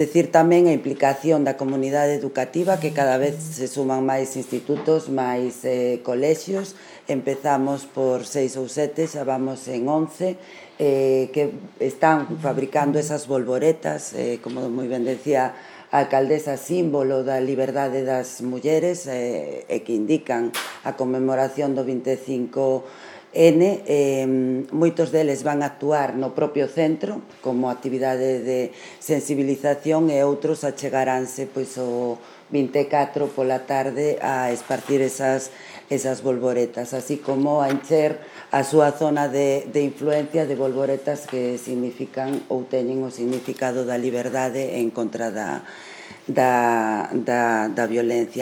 Decir tamén a implicación da comunidade educativa, que cada vez se suman máis institutos, máis colexios. Empezamos por 6 ou 7, xa vamos en 11, que están fabricando esas bolboretas, como moi ben decía a alcaldesa, símbolo da liberdade das mulleres, e que indican a conmemoración do 25N. Moitos deles van a actuar no propio centro como actividade de sensibilización, e outros achegaránse pois o 24 pola tarde a esparcir esas bolboretas, así como a encher a súa zona de influencia de bolboretas que significan ou teñen o significado da liberdade en contra da violencia.